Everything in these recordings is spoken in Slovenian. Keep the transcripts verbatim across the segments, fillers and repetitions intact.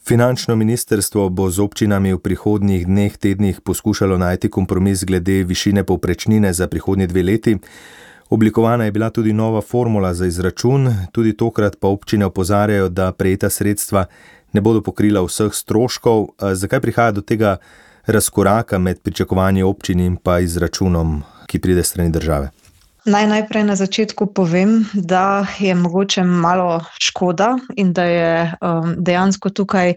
Finančno ministrstvo bo z občinami v prihodnjih dneh, tednih poskušalo najti kompromis glede višine povprečnine za prihodnji dve leti. Oblikovana je bila tudi nova formula za izračun, tudi tokrat pa občine opozarjajo, da prejeta sredstva ne bodo pokrila vseh stroškov. Zakaj prihaja do tega razkoraka med pričakovanji občin in pa izračunom, ki pride s strani države? Naj najprej na začetku povem, da je mogoče malo škoda in da je um, dejansko tukaj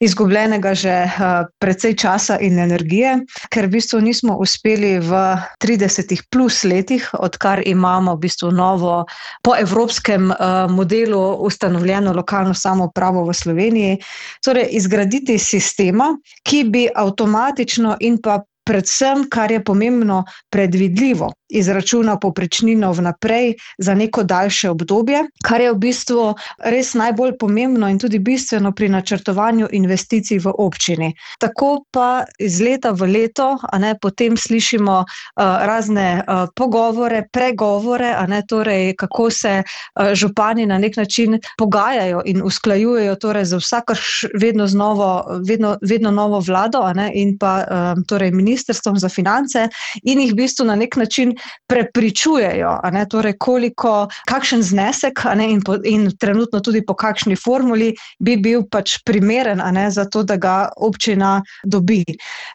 izgubljenega že uh, precej časa in energije, ker v bistvu nismo uspeli v tridesetih plus letih, odkar imamo v bistvu novo po evropskem uh, modelu ustanovljeno lokalno samoupravo v Sloveniji, torej izgraditi sistema, ki bi avtomatično in pa predvsem, kar je pomembno, predvidljivo izračuna povprečnino vnaprej za neko daljše obdobje, kar je v bistvu res najbolj pomembno in tudi bistveno pri načrtovanju investicij v občini. Tako pa iz leta v leto, a ne, potem slišimo uh, razne uh, pogovore, pregovore, a ne, torej kako se uh, župani na nek način pogajajo in usklajujejo torej za vsakrš vedno znovo, vedno, vedno novo vlado, a ne, in pa um, torej ministrstvom za finance in jih v bistvu na nek način prepričujejo, a ne, torej koliko, kakšen znesek, a ne, in, po, in trenutno tudi po kakšni formuli bi bil pač primeren, a ne, za to, da ga občina dobi.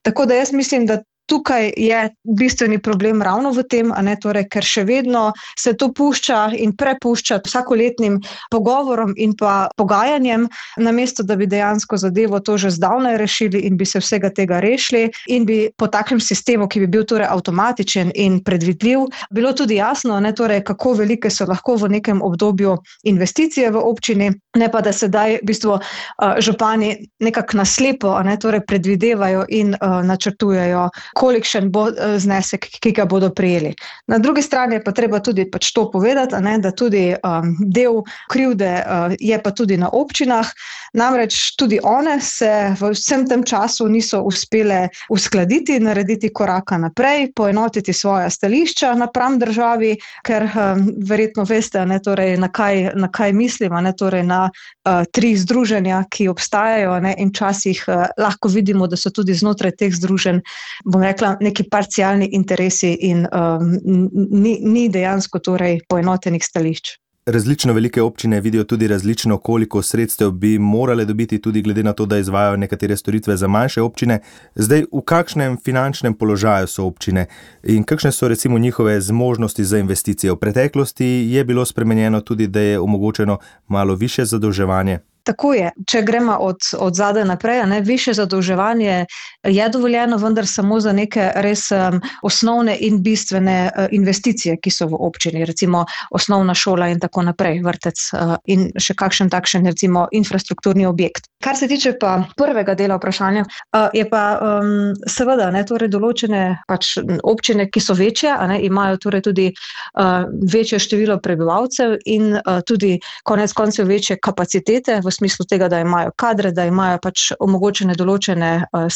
Tako da jaz mislim, da tukaj je bistveni problem ravno v tem, a ne, torej, ker še vedno se to pušča in prepušča vsakoletnim pogovorom in pa pogajanjem, namesto da bi dejansko zadevo to že zdavnaj rešili in bi se vsega tega rešili in bi po takem sistemu, ki bi bil torej avtomatičen in predvidljiv, bilo tudi jasno, a ne, torej, kako velike so lahko v nekem obdobju investicije v občini, ne pa da sedaj v bistvu uh, župani nekako naslepo, a ne, torej predvidevajo in uh, načrtujejo, kolikšen bo znesek, ki ga bodo prejeli. Na drugi strani je pa treba tudi pač to povedati, a ne, da tudi um, del krivde uh, je pa tudi na občinah, namreč tudi one se v vsem tem času niso uspele uskladiti, narediti koraka naprej, poenotiti svoja stališča napram državi, ker um, verjetno veste, a ne, torej, na kaj, na kaj mislim, a ne, torej na uh, tri združenja, ki obstajajo, a ne, in včasih uh, lahko vidimo, da so tudi znotraj teh združenj, bom rekla, neki parcialni interesi in um, ni, ni dejansko torej poenotenih stališč. Različno velike občine vidijo tudi različno, koliko sredstev bi morale dobiti, tudi glede na to, da izvajajo nekatere storitve za manjše občine. Zdaj, v kakšnem finančnem položaju so občine in kakšne so recimo njihove zmožnosti za investicije? V preteklosti je bilo spremenjeno tudi, da je omogočeno malo višje zadolževanje. Tako je, če gremo od, od zadaj naprej, ne, više zadolževanje je dovoljeno, vendar samo za neke res um, osnovne in bistvene uh, investicije, ki so v občini, recimo osnovna šola in tako naprej, vrtec uh, in še kakšen takšen recimo infrastrukturni objekt. Kar se tiče pa prvega dela vprašanja, uh, je pa um, seveda ne, torej določene pač občine, ki so večje, a ne, imajo torej tudi uh, večje število prebivalcev in uh, tudi konec koncev večje kapacitete v smislu tega, da imajo kadre, da imajo pač omogočene določene uh,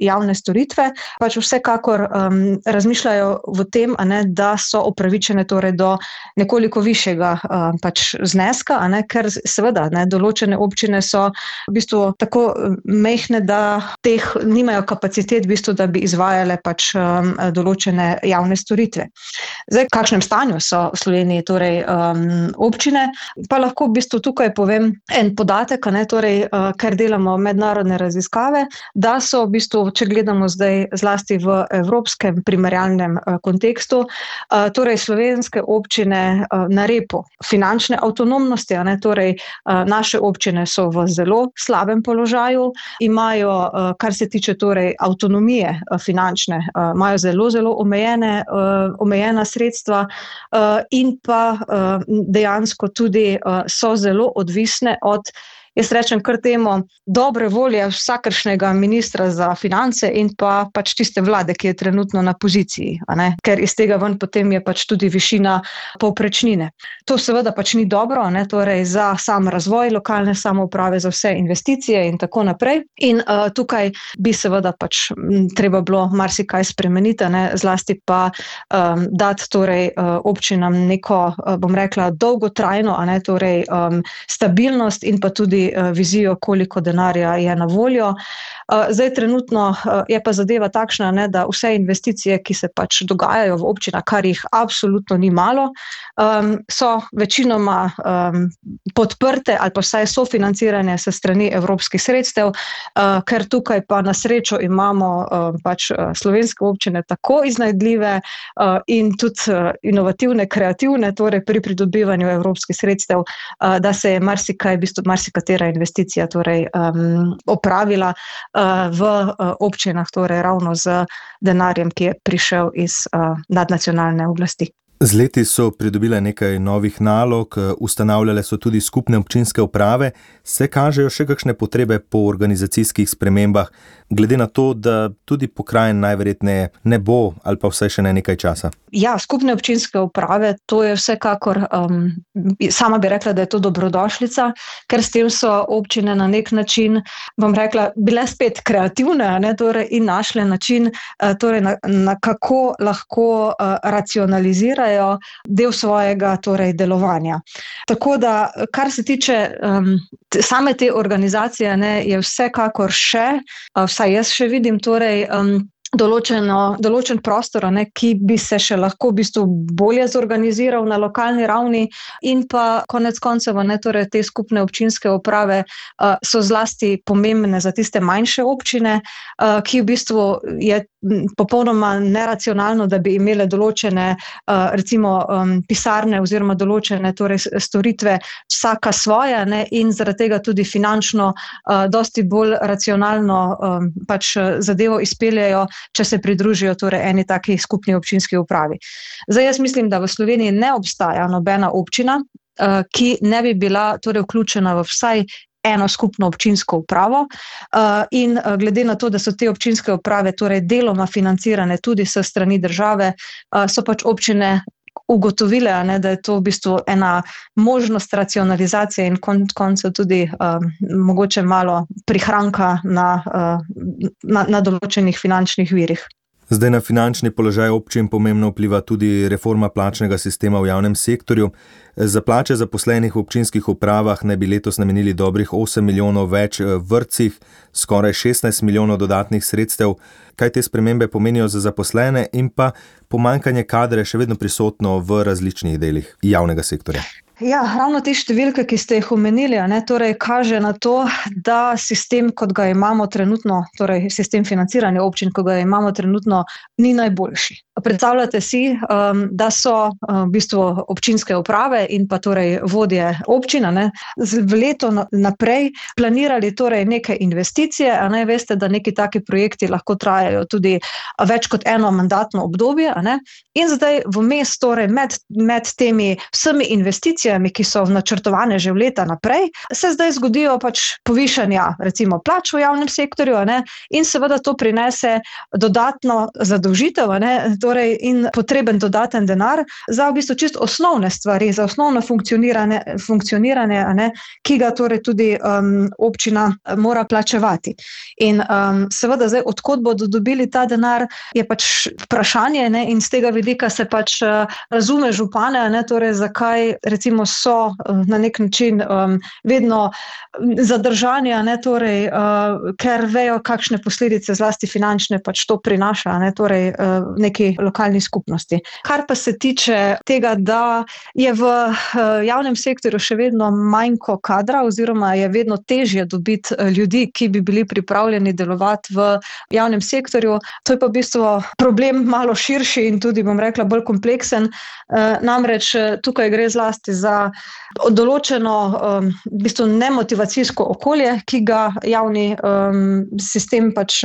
javne storitve, pač vsekakor um, razmišljajo v tem, a ne, da so upravičene torej do nekoliko višjega uh, pač zneska, a ne, ker seveda ne, določene občine so v bistvu tako mehne, da teh nimajo kapacitet v bistvu, da bi izvajale pač um, določene javne storitve. Zdaj, v kakšnem stanju so v Sloveniji torej um, občine, pa lahko v bistvu tukaj povem en podatek, a ne, torej, uh, ker delamo mednarodne raziskave, da so v bistvu, če gledamo zdaj zlasti v evropskem primerjalnem uh, kontekstu, uh, torej slovenske občine uh, na repu finančne avtonomnosti, a ne, torej uh, naše občine so v zelo slabem položaju, imajo, uh, kar se tiče torej avtonomije uh, finančne, uh, imajo zelo, zelo omejene, uh, omejena sredstva uh, in pa uh, dejansko tudi uh, so zelo odvisne od, jaz rečem kar temu, dobre volje vsakršnega ministra za finance in pa pač tiste vlade, ki je trenutno na poziciji, a ne? Ker iz tega ven potem je pač tudi višina povprečnine. To seveda pač ni dobro, a ne? Torej za sam razvoj lokalne samouprave, za vse investicije in tako naprej. In uh, tukaj bi seveda pač m, treba bilo marsikaj spremeniti, a ne? Zlasti pa um, dati torej uh, občinam neko, uh, bom rekla, dolgotrajno, a ne? Torej um, stabilnost in pa tudi tudi vizijo, koliko denarja je na voljo. Zdaj trenutno je pa zadeva takšna, ne, da vse investicije, ki se pač dogajajo v občinah, kar jih absolutno ni malo, so večinoma podprte ali pa vsaj sofinancirane s strani evropskih sredstev, ker tukaj pa na srečo imamo pač slovenske občine tako iznajdljive in tudi inovativne, kreativne, torej pri pridobivanju evropskih sredstev, da se je marsikaj, v bistvu marsikatera investicija torej opravila v občinah, torej ravno z denarjem, ki je prišel iz nadnacionalne oblasti. Z leti so pridobile nekaj novih nalog, ustanavljale so tudi skupne občinske uprave. Se kažejo še kakšne potrebe po organizacijskih spremembah, glede na to, da tudi pokrajin najverjetneje ne bo ali pa vsaj še ne nekaj časa? Ja, skupne občinske uprave, to je vsekakor, um, sama bi rekla, da je to dobrodošlica, ker s tem so občine na nek način, bom rekla, bile spet kreativne, ne, torej in našle način, torej na, na kako lahko uh, racionalizirajo del svojega torej delovanja. Tako da, kar se tiče um, same te organizacije, ne, je vsekakor še, uh, vsaj jaz še vidim, torej um, Določeno, določen prostor, ne, ki bi se še lahko v bistvu bolje zorganiziral na lokalni ravni in pa konec koncev, ne, torej te skupne občinske uprave uh, so zlasti pomembne za tiste manjše občine, uh, ki v bistvu je popolnoma neracionalno, da bi imele določene uh, recimo um, pisarne oziroma določene torej storitve vsaka svoja, ne, in zaradi tega tudi finančno uh, dosti bolj racionalno um, pač zadevo izpeljajo, če se pridružijo torej eni taki skupni občinski upravi. Zdaj jaz mislim, da v Sloveniji ne obstaja nobena občina, ki ne bi bila torej vključena v vsaj eno skupno občinsko upravo in glede na to, da so te občinske uprave torej deloma financirane tudi s strani države, so pač občine ugotovile, ne, da je to v bistvu ena možnost racionalizacije in konec koncev tudi um, mogoče malo prihranka na, uh, na, na določenih finančnih virih. Zdaj na finančni položaj občin pomembno vpliva tudi reforma plačnega sistema v javnem sektorju. Za plače zaposlenih v občinskih upravah naj bi letos namenili dobrih osem milijonov več v vrtcih, skoraj šestnajst milijonov dodatnih sredstev. Kaj te spremembe pomenijo za zaposlene in pa pomanjkanje kadra še vedno prisotno v različnih delih javnega sektorja? Ja, ravno te številke, ki ste jih omenili, ne, torej kaže na to, da sistem, kot ga imamo trenutno, torej sistem financiranja občin, kot ga imamo trenutno, ni najboljši. Predstavljate si, um, da so um, v bistvu občinske uprave in pa torej vodje občina, ne, v leto naprej planirali torej neke investicije, a ne veste, da neki taki projekti lahko trajajo tudi več kot eno mandatno obdobje, a ne, in zdaj vmes torej med, med temi vsemi investicijami, ki so načrtovane že v leta naprej, se zdaj zgodijo pač povišanja recimo plač v javnem sektorju, a ne, in seveda to prinese dodatno zadolžitev, a ne, torej in potreben dodaten denar za v bistvu čisto osnovne stvari, za osnovno funkcioniranje, funkcioniranje, a ne, ki ga torej tudi um, občina mora plačevati. In um, seveda zdaj, odkot bodo dobili ta denar, je pač vprašanje, ne, in z tega vidika se pač uh, razume župane, a ne, torej zakaj recimo so uh, na nek način um, vedno zadržani, a ne, torej, uh, ker vejo, kakšne posledice zlasti finančne pač to prinaša, a ne, torej uh, neki lokalni skupnosti. Kar pa se tiče tega, da je v javnem sektorju še vedno manjko kadra oziroma je vedno težje dobiti ljudi, ki bi bili pripravljeni delovati v javnem sektorju, to je pa v bistvu problem malo širši in tudi, bom rekla, bolj kompleksen. Namreč tukaj gre zlasti za določeno v bistvu nemotivacijsko okolje, ki ga javni sistem pač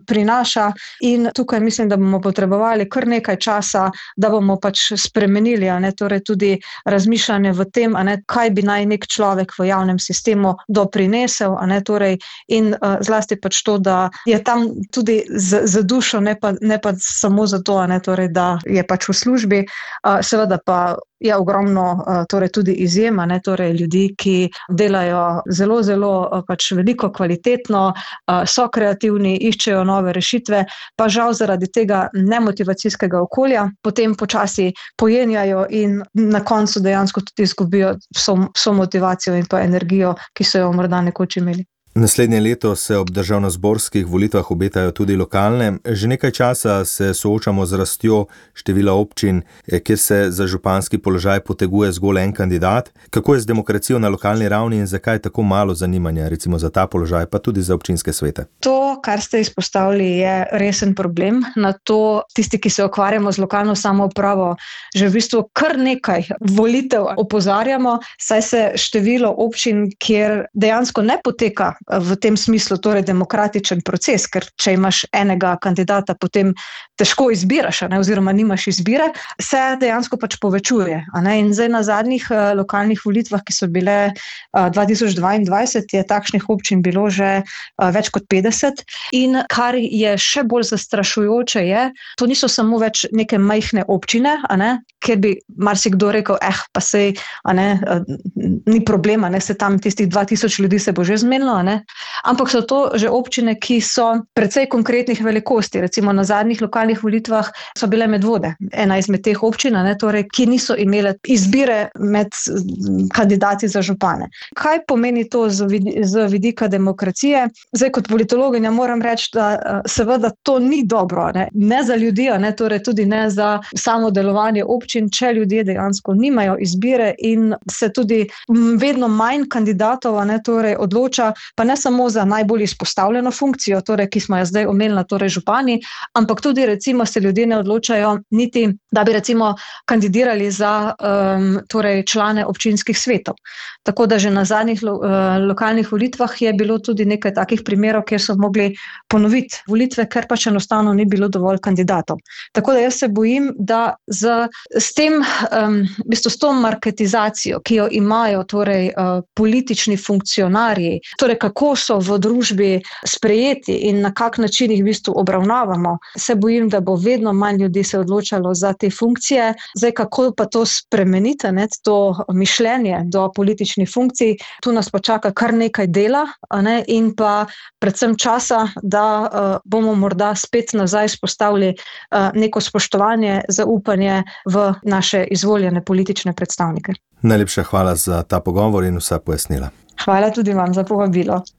prinaša, in tukaj mislim, da bomo potrebovali kar nekaj časa, da bomo pač spremenili, a ne, torej tudi razmišljanje v tem, a ne, kaj bi naj nek človek v javnem sistemu doprinesel, a ne, torej in uh, zlasti pač to, da je tam tudi z, z dušo, ne pa, ne pa samo zato, a ne, torej, da je pač v službi, uh, seveda pa je ogromno torej tudi izjema, ne, torej ljudi, ki delajo zelo, zelo pač veliko kvalitetno, so kreativni, iščejo nove rešitve, pa žal zaradi tega nemotivacijskega okolja potem počasi pojenjajo in na koncu dejansko tudi izgubijo vso, vso motivacijo in pa energijo, ki so jo morda nekoč imeli. Naslednje leto se ob državnozborskih volitvah obetajo tudi lokalne. Že nekaj časa se soočamo z rastjo števila občin, kjer se za županski položaj poteguje zgolj en kandidat. Kako je z demokracijo na lokalni ravni in zakaj je tako malo zanimanja recimo za ta položaj, pa tudi za občinske svete? To, kar ste izpostavili, je resen problem. Na to tisti, ki se ukvarjamo z lokalno samoupravo, že v bistvu kar nekaj volitev opozarjamo, saj se število občin, kjer dejansko ne poteka v tem smislu torej demokratičen proces, ker če imaš enega kandidata, potem težko izbiraš, ne, oziroma nimaš izbire, se dejansko pač povečuje. Ne, in zdaj na zadnjih uh, lokalnih volitvah, ki so bile uh, dva tisoč dvaindvajset, je takšnih občin bilo že uh, več kot petdeset in kar je še bolj zastrašujoče je, to niso samo več neke majhne občine, a ne, kjer bi marsikdo rekel, eh, pa sej, a ne, uh, ni problema, ne, se tam tistih dva tisoč ljudi se bo že zmenilo, a ne, ampak so to že občine, ki so precej konkretnih velikosti. Recimo na zadnjih lokalnih volitvah so bile Medvode, ena izmed teh občin, ne, torej, ki niso imele izbire med kandidati za župane. Kaj pomeni to z, vid z vidika demokracije? Zdaj kot politologinja moram reči, da seveda to ni dobro, ne, ne za ljudi, ne, torej tudi ne za samo delovanje občin, če ljudje dejansko nimajo izbire in se tudi vedno manj kandidatov, ne, torej odloča, pa ne samo za najbolj izpostavljeno funkcijo, torej, ki smo jo zdaj omenili, torej župani, ampak tudi recimo se ljudje ne odločajo niti, da bi recimo kandidirali za um, torej člane občinskih svetov. Tako da že na zadnjih lo, uh, lokalnih volitvah je bilo tudi nekaj takih primerov, kjer so mogli ponoviti volitve, ker pač enostavno ni bilo dovolj kandidatov. Tako da jaz se bojim, da z, s tem, um, v bistvu s to marketizacijo, ki jo imajo torej uh, politični funkcionarji, torej kako so v družbi sprejeti in na kak način jih v bistvu obravnavamo, se bojim, da bo vedno manj ljudi se odločalo za te funkcije. Zdaj, kako pa to spremeniti, ne, to mišljenje do političnih funkcij, tu nas počaka kar nekaj dela, ne, in pa predvsem časa, da uh, bomo morda spet nazaj spostavili uh, neko spoštovanje, zaupanje v naše izvoljene politične predstavnike. Najlepša hvala za ta pogovor in vsa pojasnila. Hvala tudi vam za povabilo.